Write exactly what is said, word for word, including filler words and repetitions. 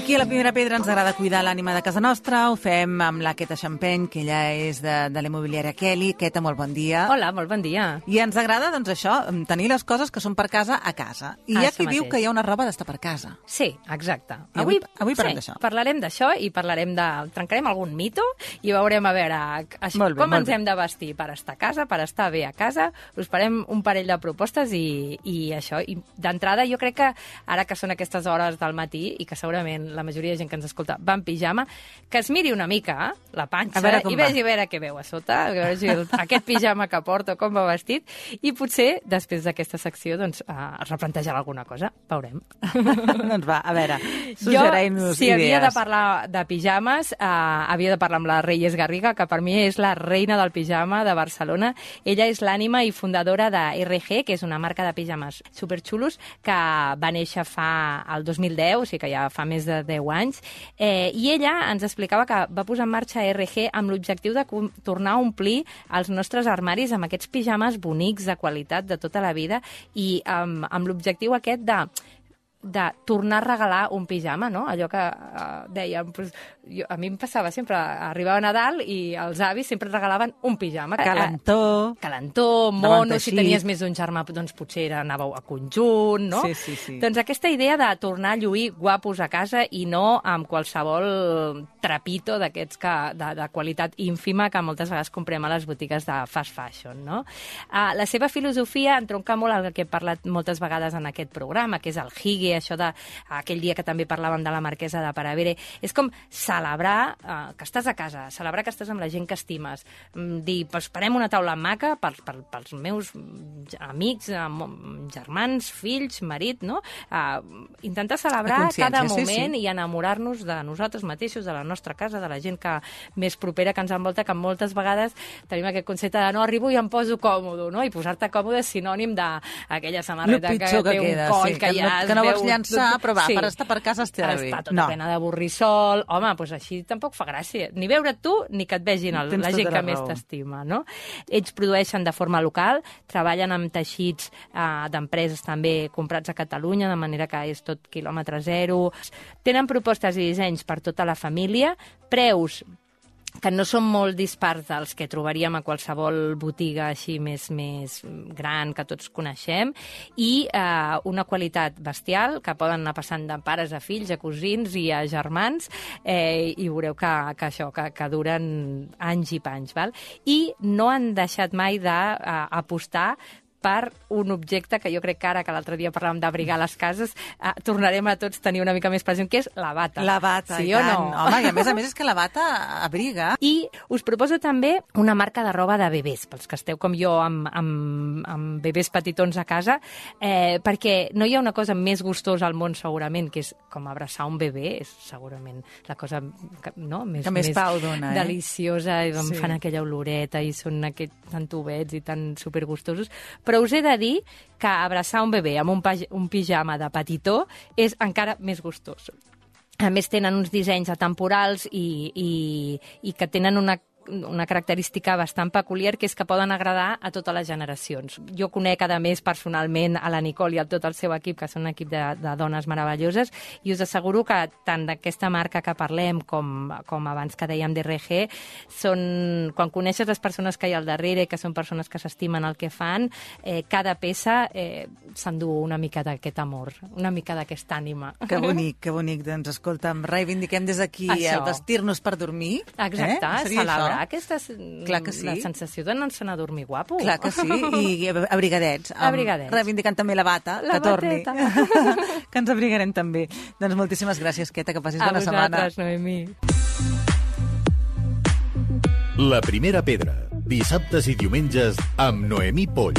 Aquí a la Primera Pedra ens agrada cuidar l'ànima de casa nostra, ho fem amb la Queta Champagne, que ella és de, de la immobiliària Kelly. Queta, molt bon dia. Hola, molt bon dia. I ens agrada, doncs, això, tenir les coses que són per casa a casa. I hi ha qui diu que hi ha una roba d'estar per casa. Sí, exacte. I avui, avui parlem sí, d'això. Parlarem d'això i parlarem de... trencarem algun mito i veurem a veure això, bé, com ens bé. hem de vestir per estar a casa, per estar bé a casa. Us farem un parell de propostes i, i això. I d'entrada, jo crec que ara que són aquestes hores del matí i que segurament la majoria de gent que ens escolta va en pijama, que es miri una mica la panxa i vegi a veure què veu a sota, a veure si el, aquest pijama que porta, com va vestit, i potser després d'aquesta secció doncs, uh, replantejar alguna cosa. Veurem. Doncs va, a veure, suggereix-nos si idees. havia de parlar de pijames, uh, havia de parlar amb la Reyes Garriga, que per mi és la reina del pijama de Barcelona. Ella és l'ànima i fundadora de R G, que és una marca de pijames superxulos que va néixer fa el dos mil deu, o sigui que ja fa més de deu anys, eh, i ella ens explicava que va posar en marxa R G amb l'objectiu de tornar a omplir els nostres armaris amb aquests pijames bonics, de qualitat, de tota la vida, i amb, amb l'objectiu aquest de de tornar a regalar un pijama, no? Allò que uh, dèiem, pues, jo, a mi em passava sempre, arribava Nadal i els avis sempre regalaven un pijama. Calentó. Calentó, mono, si tenies més d'un germà, doncs potser anàveu a conjunt, no? Sí, sí, sí. Doncs aquesta idea de tornar a lluir guapos a casa i no amb qualsevol trapito d'aquests que de, de qualitat ínfima que moltes vegades comprem a les botigues de fast fashion, no? Uh, la seva filosofia entronca molt el que he parlat moltes vegades en aquest programa, que és el hygge, això de aquell dia que també parlàvem de la marquesa de Paravere, és com celebrar uh, que estàs a casa, celebrar que estàs amb la gent que estimes, um, dir, pues, farem una taula maca per, per, pels meus amics, um, germans, fills, marit, no? Uh, intentar celebrar cada moment sí, sí. i enamorar-nos de nosaltres mateixos, de la nostra casa, de la gent que més propera que ens envolta, que moltes vegades tenim aquest concepte de no arribo i em poso còmode, no? I posar-te còmode és sinònim d'aquella samarreta que, que té un queda, coll, sí, que, que ja no, que no vols llançar, però va, sí. per estar per casa estarà bé. Està tota no. plena de borrissol. Home, doncs així tampoc fa gràcia. Ni veure't tu, ni que et vegin el, la gent que més t'estima, no? Ells produeixen de forma local, treballen amb teixits eh, d'empreses també comprats a Catalunya, de manera que és tot quilòmetre zero. Tenen propostes i dissenys per tota la família, preus que no són molt dispars dels que trobaríem a qualsevol botiga així més, més gran que tots coneixem, i eh, una qualitat bestial que poden anar passant de pares a fills, a cosins i a germans, eh, i veureu que, que això, que, que duren anys i panys, val? I no han deixat mai d'apostar per un objecte que jo crec que ara, que l'altre dia parlàvem d'abrigar les cases, eh, tornarem a tots tenir una mica més present, que és la bata. La bata, sí i o tant. no? Home, i a més a més és que la bata abriga. I us proposo també una marca de roba de bebès, pels que esteu com jo amb, amb, amb bebès petitons a casa, eh, perquè no hi ha una cosa més gustosa al món segurament, que és com abraçar un bebè, és segurament la cosa que, no? més, que més, més pau dona, eh? deliciosa, i sí. fan aquella oloreta i són aquests tan tubets i tan supergustosos. Però us he de dir que abraçar un bebè amb un, un pijama de petitó és encara més gustós. A més, tenen uns dissenys atemporals i, i, i que tenen una una característica bastant peculiar, que és que poden agradar a totes les generacions. Jo conec, a més, personalment a la Nicole i a tot el seu equip, que són un equip de, de dones meravelloses, i us asseguro que tant d'aquesta marca que parlem com, com abans que dèiem d'R G, són, quan coneixes les persones que hi ha al darrere, que són persones que s'estimen el que fan, eh, cada peça eh, s'endú una mica d'aquest amor, una mica d'aquesta ànima. Que bonic, que bonic. Doncs escolta'm, reivindiquem des d'aquí el vestir-nos per dormir. Exacte, eh? celebrar aquesta Clar que sí. la sensació d'anar-se'n a dormir guapo. Clar que sí, i abrigadets. Abrigadets. Reivindicant també la bata, la que torni. bateta. Que ens abrigarem també. Doncs moltíssimes gràcies, Queta, que passis a bona setmana. A vosaltres, Noemí. La Primera Pedra, dissabtes i diumenges amb Noemí Poll.